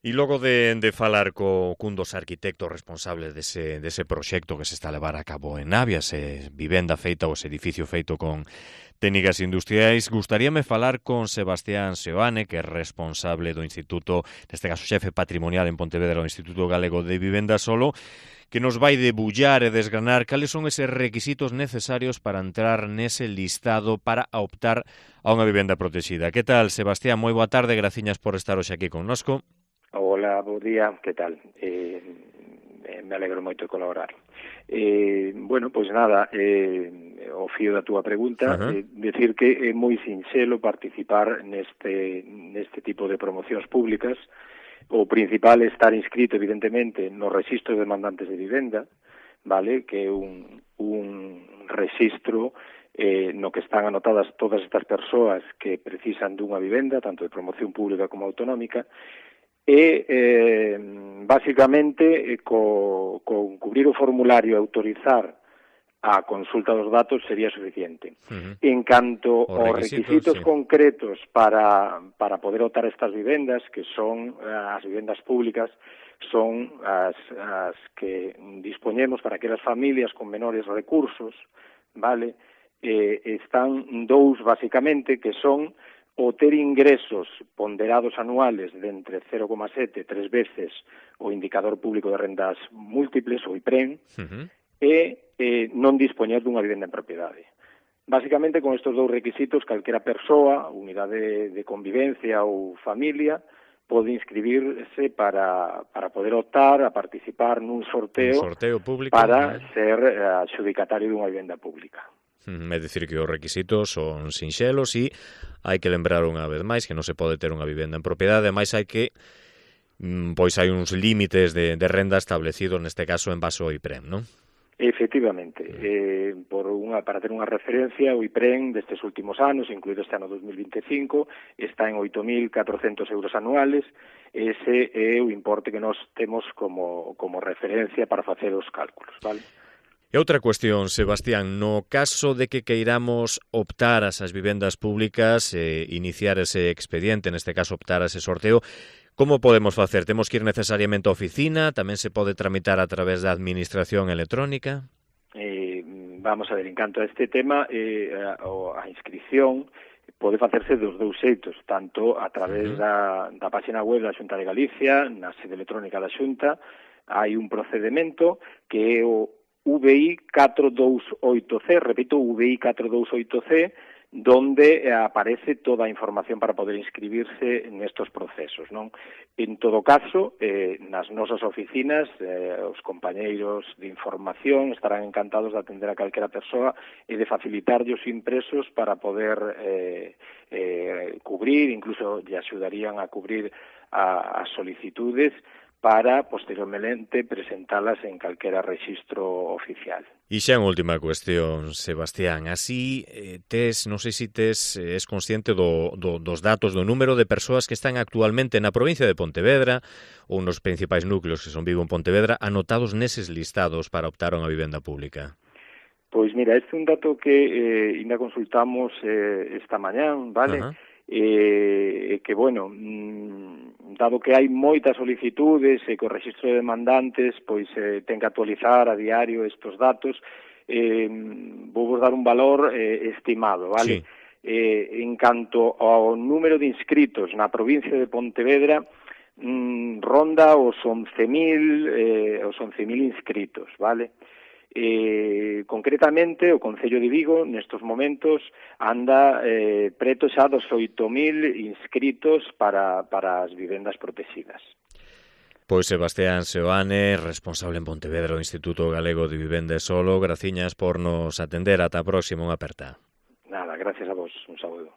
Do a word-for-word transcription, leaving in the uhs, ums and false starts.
E logo de, de falar co cun dos arquitectos responsables dese, dese proxecto que se está a levar a cabo en Navia, ese vivenda feita ou ese edificio feito con técnicas industriais, gustaríame falar con Sebastián Seoane, que é responsable do Instituto, neste caso xefe patrimonial en Pontevedra, o Instituto Galego de Vivenda Solo, que nos vai debullar e desgranar cales son eses requisitos necesarios para entrar nese listado para optar a unha vivenda protexida. Que tal, Sebastián? Moi boa tarde, graciñas por estar hoxe aquí connosco. Hola, bo día, que tal? Eh, me alegro moito de colaborar. Eh, bueno, pois nada, eh, o fío da túa pregunta, uh-huh. eh, decir que é moi sinxelo participar neste, neste tipo de promocións públicas. O principal é estar inscrito, evidentemente, no Rexistro de Demandantes de Vivenda, vale, que é un, un rexistro eh, no que están anotadas todas estas persoas que precisan dunha vivenda, tanto de promoción pública como autonómica, e, eh, basicamente, eh, co, con cubrir o formulario e autorizar a consulta dos datos sería suficiente. Uh-huh. En canto aos requisitos, requisitos sí. concretos para, para poder optar estas vivendas, que son as vivendas públicas, son as, as que dispoñemos para aquelas familias con menores recursos, vale? Eh, están dous, basicamente, que son o ter ingresos ponderados anuales de entre cero coma sete e tres veces o indicador público de rendas múltiples, o I P R E M, uh-huh. e eh, non dispoñer dunha vivenda en propiedade. Basicamente, con estes dous requisitos, calquera persoa, unidade de convivencia ou familia, pode inscribirse para, para poder optar a participar nun sorteo, Un sorteo público, para ¿no? ser adxudicatario dunha vivenda pública. É dicir que os requisitos son sinxelos e hai que lembrar unha vez máis que non se pode ter unha vivenda en propiedade, máis hai que pois hai uns límites de, de renda establecidos, neste caso en base ao I P R E M, non? Efectivamente, eh, por unha, para ter unha referencia, o I P R E M destes últimos anos, incluído este ano dos mil vinte e cinco, está en oito mil catrocentos euros anuales. Ese é o importe que nós temos como, como referencia para facer os cálculos, vale? E outra cuestión, Sebastián, no caso de que queiramos optar a esas vivendas públicas, eh, iniciar ese expediente, neste caso optar a ese sorteo, como podemos facer? Temos que ir necesariamente á oficina? Tamén se pode tramitar a través da administración electrónica? Eh, vamos a ver, en canto a este tema, eh, a, a inscripción pode facerse dos dous xeitos, tanto a través uh-huh. da, da página web da Xunta de Galicia, na sede electrónica da Xunta, hai un procedimento que é o V I catro dous oito C, repito, V I catro dous oito C, donde aparece toda a información para poder inscribirse nestos procesos, non? En todo caso, eh, nas nosas oficinas, eh, os compañeiros de información estarán encantados de atender a calquera persoa e de facilitarlle os impresos para poder eh, eh, cubrir, incluso lle axudarían a cubrir a, as solicitudes para, posteriormente, presentalas en calquera rexistro oficial. E xa en última cuestión, Sebastián, así eh, tes, non sei se tes, eh, es consciente do, do, dos datos, do número de persoas que están actualmente na provincia de Pontevedra ou nos principais núcleos que son Vigo en Pontevedra anotados neses listados para optar a unha vivenda pública. Pois mira, este é un dato que eh, ainda consultamos eh, esta mañán, vale? Uh-huh. Eh, que, bueno, mmm, dado que hai moitas solicitudes e que o Rexistro de Demandantes pois eh, ten que actualizar a diario estes datos, eh, vou vos dar un valor eh, estimado, vale? Sí. Eh, en canto ao número de inscritos na provincia de Pontevedra, mmm, ronda os once mil eh, os once mil inscritos, vale? Eh, concretamente, o Concello de Vigo, nestos momentos, anda eh, preto xa dos oito mil inscritos para, para as vivendas protegidas. Pois Sebastián Seoane, responsable en Pontevedra do Instituto Galego de Vivenda Solo, graciñas por nos atender. Ata a próxima, unha aperta. Nada, gracias a vos, un saúdo.